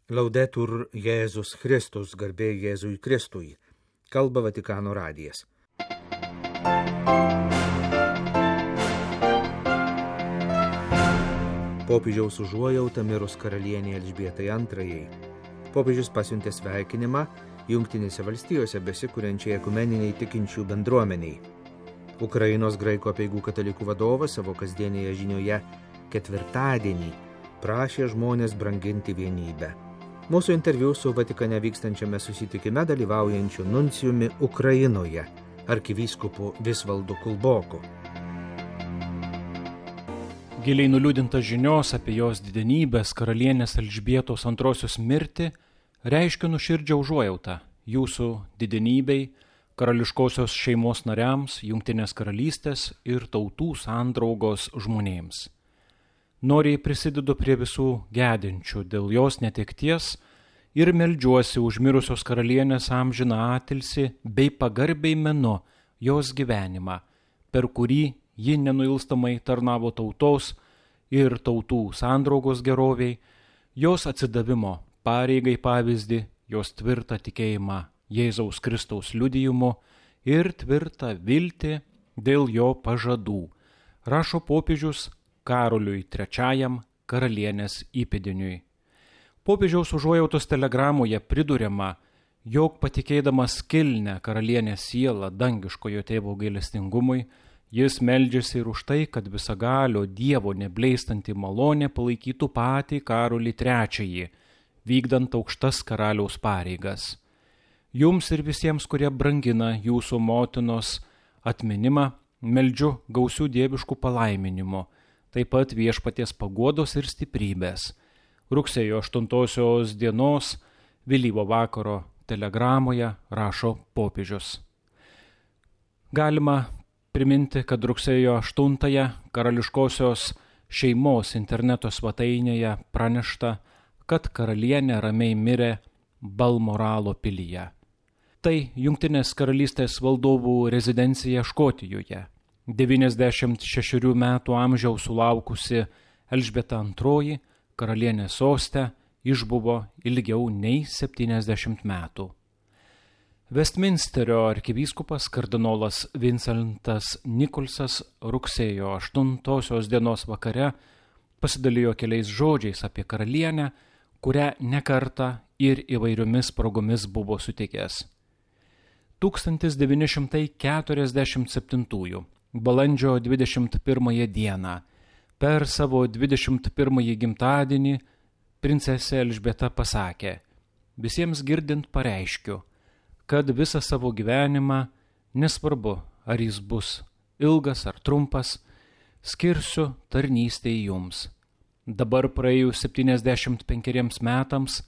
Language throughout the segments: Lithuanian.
Laudetur Jėzus Kristus, garbė Jėzui Kristui. Kalba Vatikano radijas. Popiežiaus užuojauta mirus karalienei Elžbietai II. Popiežius pasiuntė sveikinimą Jungtinėse valstijose besikuriančiai ekumeniniai tikinčių bendruomeniai. Ukrainos graikų apeigų katalikų vadovas savo kasdienėje žinioje ketvirtadienį prašė žmonės branginti vienybę. Mūsų interviu su Vatikane vykstančiame susitikime dalyvaujančiu nuncijumi Ukrainoje, arkivyskupu Visvaldu Kulboku. Giliai nuliūdintas žinios apie jos didenybės karalienės Elžbietos II mirtį reiškia nuoširdžią užuojautą jūsų didenybei, karališkosios šeimos nariams, Jungtinės karalystės ir tautų sandraugos žmonėms. Noriai prisidedu prie visų gedinčių dėl jos netekties ir meldžiuosi už mirusios karalienės amžiną atilsį bei pagarbiai menu jos gyvenimą, per kurį ji nenuilstamai tarnavo tautos ir tautų sandraugos geroviai, jos atsidavimo pareigai pavyzdį, jos tvirtą tikėjimą Jėzaus Kristaus liudijimu ir tvirtą viltį dėl jo pažadų, rašo popiežius Karoliui III karalienės įpėdiniui. Popiežiaus užuojautos telegramoje priduriama, jog patikėdamas kilnią karalienės sielą dangiškojo tėvo gailestingumui, jis meldžiasi ir už tai, kad visagalio Dievo nebleistanti malonė palaikytų patį Karolį III, vykdant aukštas karaliaus pareigas. Jums ir visiems, kurie brangina jūsų motinos atminimą, meldžiu gausių dieviškų palaiminimų, taip pat viešpaties paguodos ir stiprybės. Rugsėjo 8 dienos vėlyvo vakaro telegramoje rašo popiežius. Galima priminti, kad rugsėjo 8 karališkosios šeimos interneto svetainėje pranešta, kad karalienė ramiai mirė Balmoralo pilyje. Tai Jungtinės karalystės valdovų rezidencija Škotijoje. 96 metų amžiaus sulaukusi Elžbieta II karalienės soste išbuvo ilgiau nei 70 metų. Vestminsterio arkivyskupas kardinolas Vincentas Nikolsas rugsėjo 8 dienos vakare pasidalijo keliais žodžiais apie karalienę, kurią nekartą ir įvairiomis progomis buvo sutikęs. 1947 balandžio 21 dieną, per savo 21 gimtadienį, princesė Elžbieta pasakė: visiems girdint pareiškiu, kad visą savo gyvenimą, nesvarbu ar jis bus ilgas ar trumpas, skirsiu tarnystei jums. Dabar praėjus 75 metams,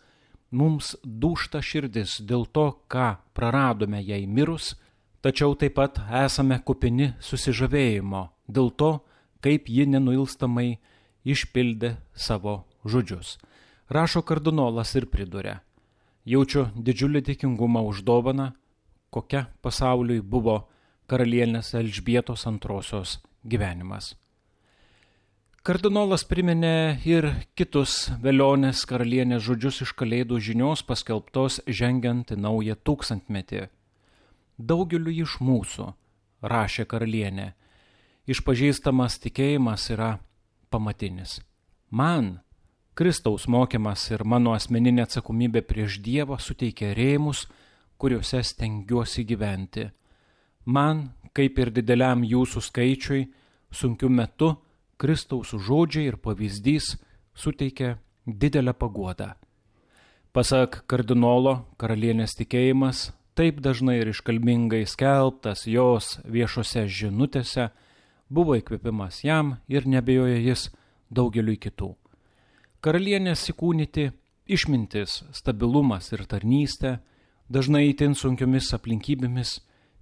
mums dūžta širdis dėl to, ką praradome jai mirus, tačiau taip pat esame kupini susižavėjimo dėl to, kaip ji nenuilstamai išpildė savo žodžius. Rašo kardinolas ir priduria: jaučiu didžiulį dėkingumą už dovaną, kokia pasauliui buvo karalienės Elžbietos II gyvenimas. Kardinolas priminė ir kitus velionės karalienės žodžius iš Kalėdų žinios paskelbtos žengiant į naują tūkstantmetį. Daugeliu iš mūsų, rašė karalienė, išpažįstamas tikėjimas yra pamatinis. Man Kristaus mokymas ir mano asmeninė atsakomybė prieš Dievą suteikia rėmus, kuriuose stengiuosi gyventi. Man, kaip ir dideliam jūsų skaičiui, sunkiu metu Kristaus žodžiai ir pavyzdys suteikia didelę paguodą. Pasak kardinolo, karalienės tikėjimas, taip dažnai ir iškalbingai skelbtas jos viešose žinutėse, buvo įkvėpimas jam ir neabejoja jis daugeliui kitų. Karalienės įkūnyti išmintis, stabilumas ir tarnystė, dažnai itin sunkiomis aplinkybėmis,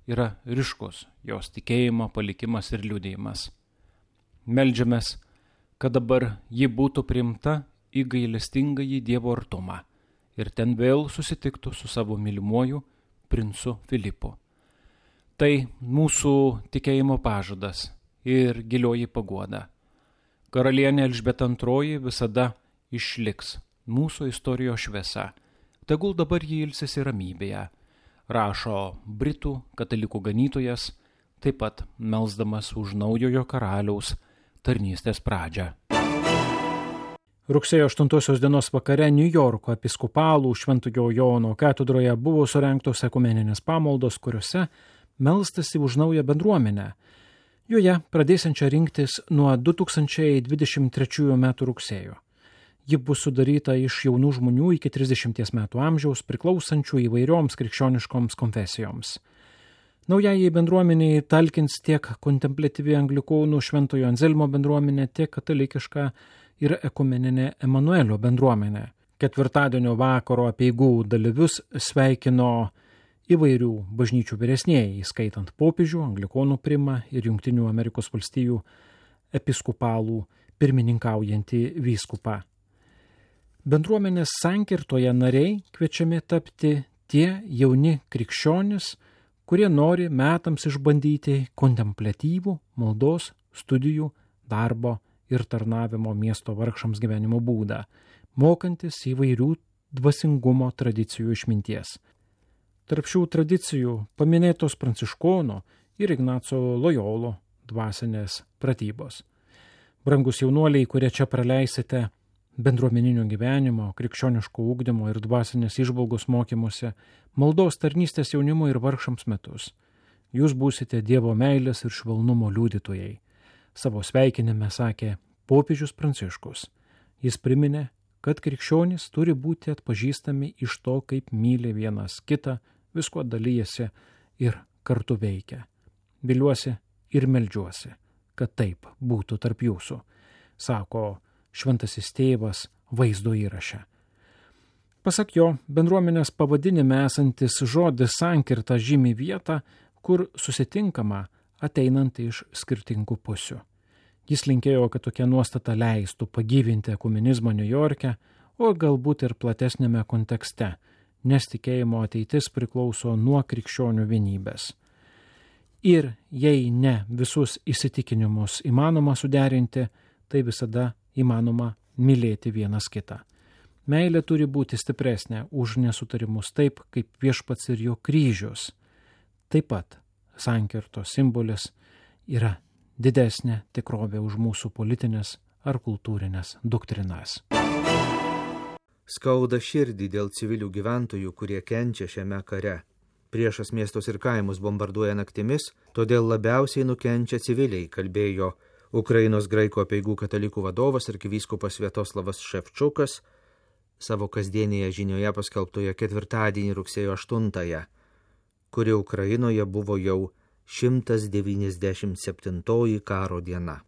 yra ryškus jos tikėjimo palikimas ir liudijimas. Meldžiamės, kad dabar ji būtų priimta į gailestingąjį Dievo artumą ir ten vėl susitiktų su savo mylimuoju princu Filipu. Tai mūsų tikėjimo pažadas ir gilioji paguoda. Karalienė Elžbieta II visada išliks mūsų istorijos šviesa. Tegul dabar jį ilsisi ramybėje, rašo britų katalikų ganytojas, taip pat melsdamas už naujojo karaliaus tarnystės pradžią. Rugsėjo 8 dienos vakare Niujorko episkopalų Šventojo Jono katedroje buvo surengtos ekumeninės pamaldos, kuriuose melstasi už naują bendruomenę. Joje pradėsiančią rinktis nuo 2023 metų rugsėjo. Ji bus sudaryta iš jaunų žmonių iki 30 metų amžiaus, priklausančių įvairioms krikščioniškoms konfesijoms. Naujajai bendruomeniai talkins tiek kontempliatyvi anglikonų Šventojo Anzelmo bendruomenė, tiek katalikiška ir ekumeninė Emanuelio bendruomenė. Ketvirtadienio vakaro apeigų dalyvius sveikino įvairių bažnyčių vyresnieji, įskaitant popiežių, anglikonų primą ir Jungtinių Amerikos valstijų episkopalų pirmininkaujantį vyskupą. Bendruomenės sankirtoje nariai kviečiami tapti tie jauni krikščionys, kurie nori metams išbandyti kontempliatyvų, maldos, studijų, darbo ir tarnavimo miesto vargšams gyvenimo būdą, mokantis įvairių dvasingumo tradicijų išminties. Tarp šių tradicijų paminėtos Pranciškono ir Ignaco Lojolo dvasinės pratybos. Brangus jaunuoliai, kurie čia praleisite bendruomeninio gyvenimo, krikščioniško ugdymo ir dvasinės įžvalgos mokymuose, maldos tarnystės jaunimo ir vargšams metus. Jūs būsite Dievo meilės ir švelnumo liudytojai. Savo sveikinime sakė popiežius Pranciškus. Jis priminė, kad krikščionys turi būti atpažįstami iš to, kaip myli vienas kitą, visko dalyjasi ir kartu veikia. Viliuosi ir meldžiuosi, kad taip būtų tarp jūsų, sako Šventasis Tėvas vaizdo įraše. Pasak jo, bendruomenės pavadinime esantis žodis sankirta žymi vietą, kur susitinkama ateinant iš skirtingų pusių. Jis linkėjo, kad tokia nuostata leistų pagyvinti ekumenizmą Niujorke, o galbūt ir platesnėme kontekste, nes tikėjimo ateitis priklauso nuo krikščionių vienybės. Ir jei ne visus įsitikinimus įmanoma suderinti, tai visada įmanoma mylėti vienas kitą. Meilė turi būti stipresnė už nesutarimus taip, kaip Viešpats ir jo kryžius. Taip pat sankirtos simbolis yra didesnė tikrovė už mūsų politinės ar kultūrinės doktrinas. Skauda širdį dėl civilių gyventojų, kurie kenčia šiame kare. Priešas miestus ir kaimus bombarduoja naktimis, todėl labiausiai nukenčia civiliai, kalbėjo Ukrainos graikų apeigų katalikų vadovas arkivyskupas Sviatoslavas Ševčukas savo kasdienėje žinioje paskelbtoje ketvirtadienį rugsėjo 8, kuri Ukrainoje buvo jau 197 karo diena.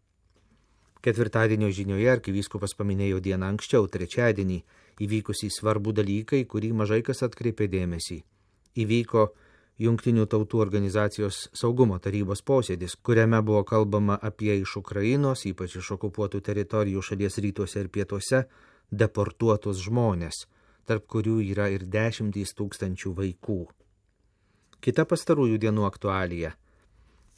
Ketvirtadienio žinioje arkivyskupas paminėjo dieną anksčiau, trečiadienį, įvykusį svarbų dalykai, kurį mažai kas atkreipė dėmesį. Įvyko Jungtinių tautų organizacijos saugumo tarybos posėdis, kuriame buvo kalbama apie iš Ukrainos, ypač iš okupuotų teritorijų šalies rytuose ir pietuose, deportuotus žmonės, tarp kurių yra ir 10 000 vaikų. Kita pastarųjų dienų aktualija,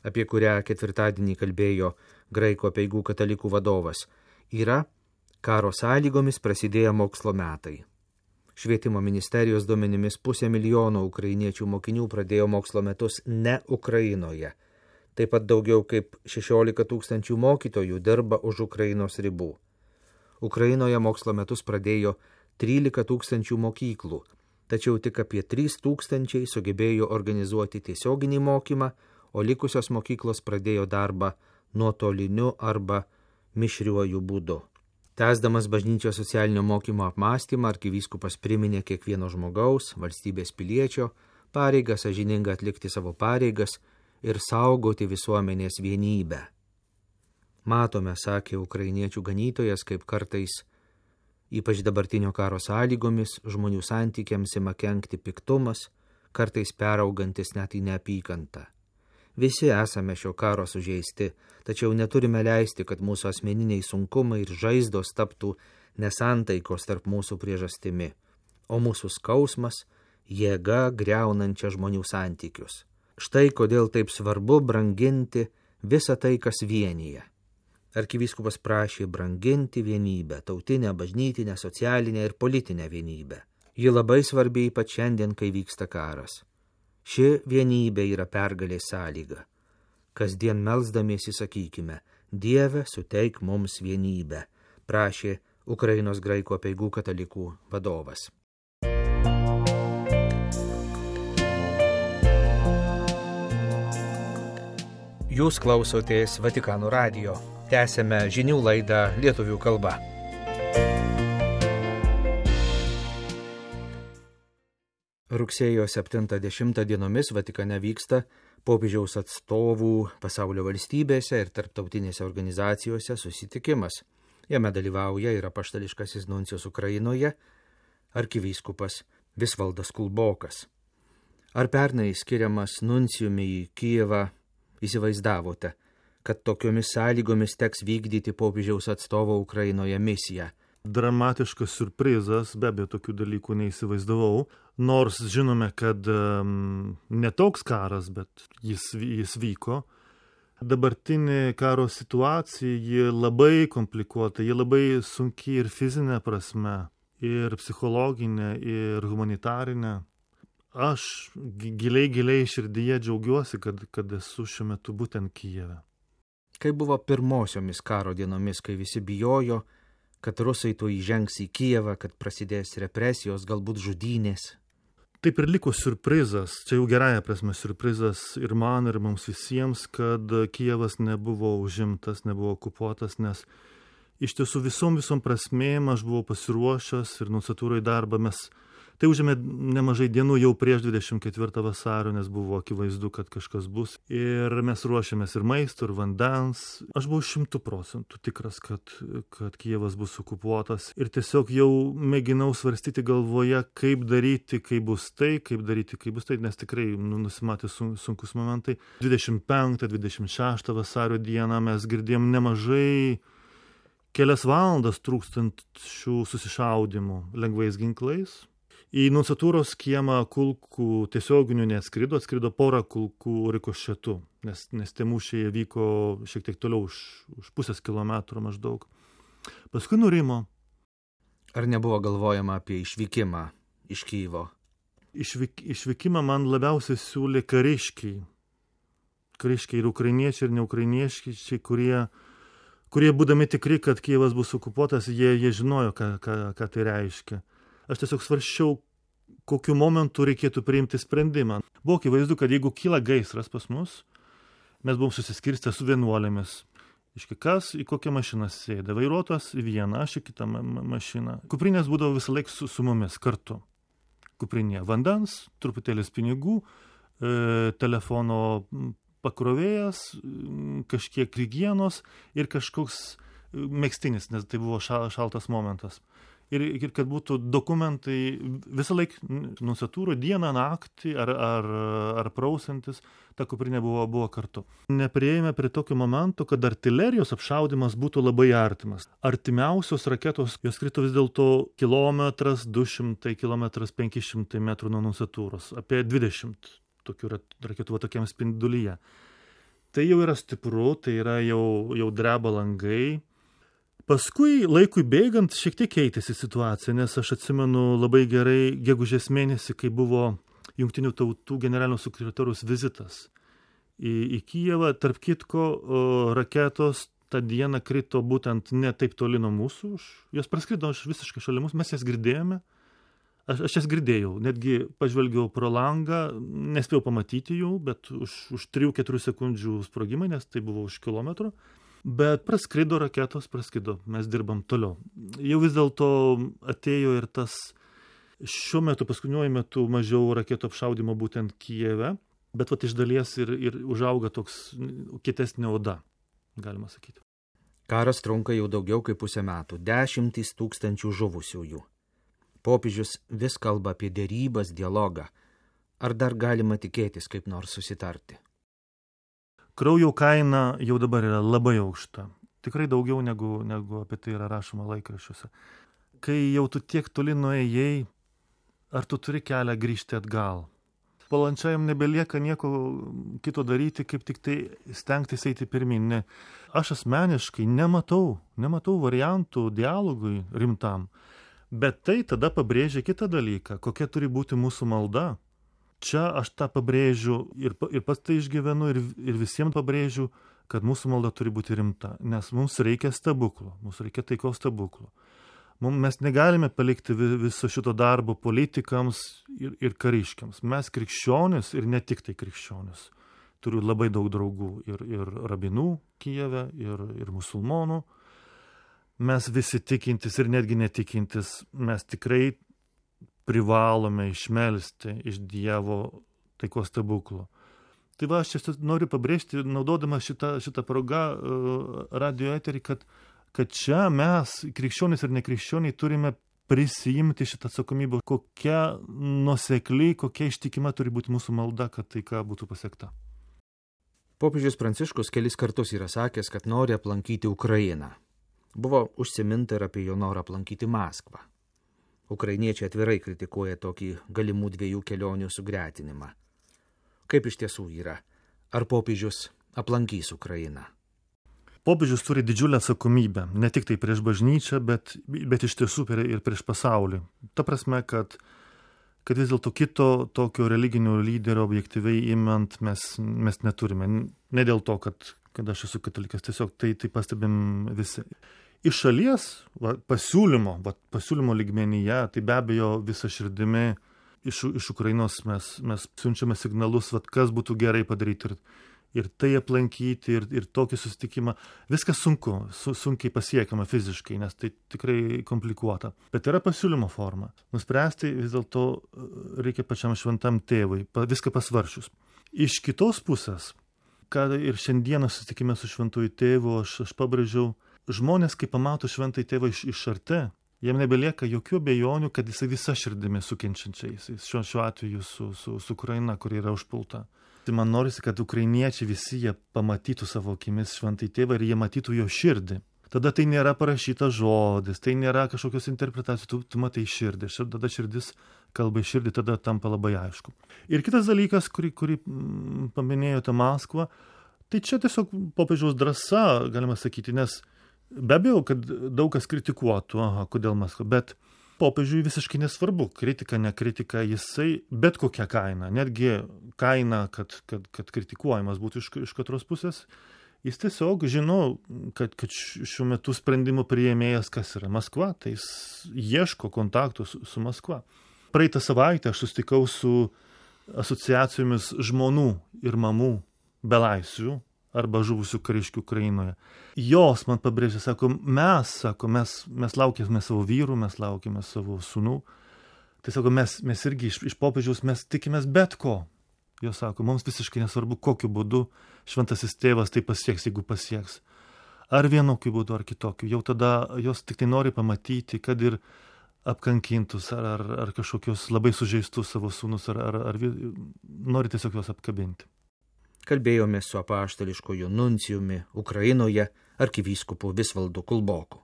apie kurią ketvirtadienį kalbėjo graikų apeigų katalikų vadovas, yra karo sąlygomis prasidėję mokslo metai. Švietimo ministerijos duomenimis 500 000 ukrainiečių mokinių pradėjo mokslo metus ne Ukrainoje. Taip pat daugiau kaip 16 000 mokytojų dirba už Ukrainos ribų. Ukrainoje mokslo metus pradėjo 13 000 mokyklų, tačiau tik apie 3 000 sugebėjo organizuoti tiesioginį mokymą, o likusios mokyklos pradėjo darbą nuotoliniu arba mišriuoju būdu. Tęsdamas bažnyčios socialinio mokymo apmąstymą, arkivyskupas priminė kiekvieno žmogaus, valstybės piliečio, pareigą sąžiningą atlikti savo pareigas ir saugoti visuomenės vienybę. Matome, sakė ukrainiečių ganytojas, kaip kartais, ypač dabartinio karo sąlygomis, žmonių santykiams ima kenkti piktumas, kartais peraugantis net į neapykantą. Visi esame šio karo sužeisti, tačiau neturime leisti, kad mūsų asmeniniai sunkumai ir žaizdos taptų nesantaikos tarp mūsų priežastimi, o mūsų skausmas jėga griaunančia žmonių santykius. Štai kodėl taip svarbu branginti visą tai, kas vienyje. Arkivyskupas prašė branginti vienybę, tautinę, bažnytinę, socialinę ir politinę vienybę. Ji labai svarbi ypač šiandien, kai vyksta karas. Ši vienybė yra pergalės sąlyga. Kasdien melsdamiesi sakykime, Dieve, suteik mums vienybę, prašė Ukrainos graikų apeigų katalikų vadovas. Jūs klausotės Vatikano radijo. Tęsėme žinių laidą lietuvių kalba. Rugsėjo 70 dienomis Vatikane vyksta popiežiaus atstovų pasaulio valstybėse ir tarptautinėse organizacijose susitikimas. Jame dalyvauja ir apaštališkasis nuncijus Ukrainoje, arkivyskupas Visvaldas Kulbokas. Ar pernai skiriamas nuncijumi į Kijevą įsivaizdavote, kad tokiomis sąlygomis teks vykdyti popiežiaus atstovo Ukrainoje misiją? Dramatiškas siurprizas, be abejo, tokių dalykų neįsivaizdavau, nors žinome, kad ne toks karas, bet jis vyko. Dabartinė karo situacija, ji labai komplikuota, ji labai sunki ir fizinė prasme, ir psichologinė, ir humanitarinė. Aš giliai širdyje džiaugiuosi, kad esu šiuo metu būtent Kijeve. Kai buvo pirmosiomis karo dienomis, kai visi bijojo, kad rusai to įžengs į Kijevą, kad prasidės represijos, galbūt žudynės? Taip ir liko siurprizas, čia jau gerąja prasme siurprizas ir man, ir mums visiems, kad Kijevas nebuvo užimtas, nebuvo okupuotas, nes iš tiesų visom prasmėm aš buvau pasiruošęs ir nunciatūrai darbą Tai užėmė nemažai dienų jau prieš 24 vasario, nes buvo akivaizdu, kad kažkas bus. Ir mes ruošėmės ir maisto, ir vandens. Aš buvau 100% tikras, kad Kijevas bus okupuotas. Ir tiesiog jau mėginau svarstyti galvoje, kaip daryti, kai bus tai, nes tikrai nusimatė sunkus momentai. 25-26 vasario dieną mes girdėjom nemažai kelias valandas trūkstančių susišaudimų lengvais ginklais. Į nunciatūros kiemą kulkų tiesioginių neatskrido, atskrido porą kulkų rikošetų, nes tie mūšiai vyko šiek tiek toliau už pusės kilometro maždaug. Paskui nurimo. Ar nebuvo galvojama apie išvykimą iš Kijevo? Išvykimą man labiausiai siūlė kariškiai. Kariškiai ir ukrainiečiai, ir neukrainiečiai, kurie būdami tikri, kad Kijevas bus okupuotas, jie žinojo, ką tai reiškia. Aš tiesiog svarsčiau, kokiu momentu reikėtų priimti sprendimą. Buvo akivaizdu, kad jeigu kyla gaisras pas mus, mes buvom susiskirstę su vienuolėmis. Kas į kokią mašiną sėda. Vairuotojas į vieną, aš į kitą mašiną. Kuprinės būdavo visą laiką su mumis kartu. Kuprinė vandens, truputėlis pinigų, telefono pakrovėjas, kažkiek higienos ir kažkoks megztinis, nes tai buvo šaltas momentas. Ir kad būtų dokumentai visą laiką nunciatūrą dieną, naktį ar prausantis, ta kuprinė buvo kartu. Neprieėjome prie tokio momento, kad artilerijos apšaudimas būtų labai artimas. Artimiausios raketos, jos krito vis dėlto kilometras, 200 kilometras, 500 metrų nuo nunciatūros. Apie 20 tokių raketų tokiam spindulyje. Tai jau yra stipru, tai yra jau dreba langai. Paskui laikui bėgant šiek tiek keitėsi situacija, nes aš atsimenu labai gerai gegužės mėnesį, kai buvo Jungtinių tautų generalinio sekretoriaus vizitas į Kijevą. Tarp kitko, raketos tą dieną krito būtent ne taip toli nuo mūsų. Jos praskrido visiškai šalia mūsų, mes jas girdėjome. Aš jas girdėjau, netgi pažvelgiau pro langą, nespėjau pamatyti jų, bet už 3-4 sekundžių sprogimai, nes tai buvo už kilometro. Bet praskrido raketos, mes dirbam toliau. Jau vis dėlto atėjo ir tas šiuo metu, paskutiniuoju metu mažiau raketų apšaudimo būtent Kijeve, bet iš dalies ir užauga toks kietesnė oda, galima sakyti. Karas trunka jau daugiau kaip pusę metų, 10 000 žuvusiųjų. Popiežius vis kalba apie derybas, dialogą. Ar dar galima tikėtis kaip nors susitarti? Kraujo kaina jau dabar yra labai aukšta. Tikrai daugiau negu apie tai yra rašoma laikraščiuose. Kai jau tu tiek toli nuėjai, ar tu turi kelią grįžti atgal? Valančiajam nebelieka nieko kito daryti, kaip tik tai stengtis eiti pirmin. Ne. Aš asmeniškai nematau variantų dialogui rimtam. Bet tai tada pabrėžia kitą dalyką, kokia turi būti mūsų malda. Čia aš tą pabrėžiu ir pats tai išgyvenu ir visiems pabrėžiu, kad mūsų malda turi būti rimta, nes mums reikia stebuklų, mums reikia taikos stebuklų. Mes negalime palikti viso šito darbo politikams ir kariškiams. Mes krikščionis ir ne tik tai krikščionis. Turiu labai daug draugų ir rabinų Kijeve, ir musulmonų. Mes visi tikintis ir netgi netikintis, mes tikrai privalome išmelsti iš Dievo taikos stebuklų. Tai va, aš čia noriu pabrėžti, naudodama šitą progą radio eterį, kad čia mes, krikščionys ir nekrikščioniai, turime prisijimti šitą atsakomybę, kokia nuosekli, kokia ištikima turi būti mūsų malda, kad taika būtų pasiekta. Popiežius Pranciškus kelis kartus yra sakęs, kad nori aplankyti Ukrainą. Buvo užsiminta ir apie jo norą aplankyti Maskvą. Ukrainiečiai atvirai kritikuoja tokį galimų 2 kelionių sugretinimą. Kaip iš tiesų yra? Ar popiežius aplankys Ukrainą? Popiežius turi didžiulę atsakomybę, ne tik tai prieš bažnyčią, bet iš tiesų ir prieš pasaulį. Ta prasme, kad vis dėlto kito tokio religinio lyderio objektyviai imant mes neturime. Ne dėl to, kad aš esu katalikas, tiesiog tai pastebim visi. Iš šalies pasiūlymo lygmenyje, tai be abejo visą širdimi iš Ukrainos mes siunčiame signalus, kas būtų gerai padaryti ir tai aplankyti, ir tokį susitikimą. Viskas sunkiai pasiekiama fiziškai, nes tai tikrai komplikuota. Bet yra pasiūlymo forma. Nuspręsti vis dėlto reikia pačiam šventam tėvui, viską pasvaršius. Iš kitos pusės, kad ir šiandieną susitikime su šventuoju tėvu, aš pabrėžiau, žmonės, kai pamato šventąjį tėvą iš arti, jiem nebelieka jokių abejonių, kad jisai visa širdimi sukenčiančiais, šiuo atveju su Ukraina, kuri yra užpulta. Tai man norisi, kad ukrainiečiai visi jie pamatytų savo akimis šventąjį tėvą ir jie matytų jo širdį. Tada tai nėra parašytas žodis, tai nėra kažkokios interpretacijos, tu matai širdį. Tada širdis kalba į širdį, tada tampa labai aišku. Ir kitas dalykas, kurį paminėjote Maskvą, tai čia tiesiog popiežiaus drąsa, galima sakyti, nes be abejo, kad daug kas kritikuotų, kodėl Maskva, bet popiežiui visiškai nesvarbu, kritika, nekritika, jisai bet kokią kainą, netgi kaina, kad kritikuojamas būtų iš katros pusės, jis tiesiog žino, kad šiuo metu sprendimų priėmėjas kas yra Maskva, tai jis ieško kontaktų su Maskva. Praeitą savaitę aš susitikau su asociacijomis žmonų ir mamų belaisvių arba žuvusių kariškių Ukrainoje. Jos man pabrėžė, mes laukėme savo vyrų, mes laukėme savo sūnų. Tai sako, mes irgi iš popiežiaus mes tikimės bet ko. Jos sako, mums visiškai nesvarbu, kokiu būdu šventasis tėvas tai pasieks, jeigu pasieks. Ar vienokiu būdu, ar kitokiu. Jau tada jos tik tai nori pamatyti, kad ir apkankintus, ar kažkokius labai sužeistus savo sūnus, ar nori tiesiog juos apkabinti. Kalbėjome su apaštališkoju nuncijumi Ukrainoje arkivyskupu Visvaldu Kulboku.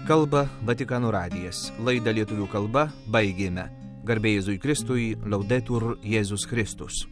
Kalba Vatikano radijas. Laidą lietuvių kalba baigėme. Garbė Jėzui Kristui, Laudetur Jėzus Kristus.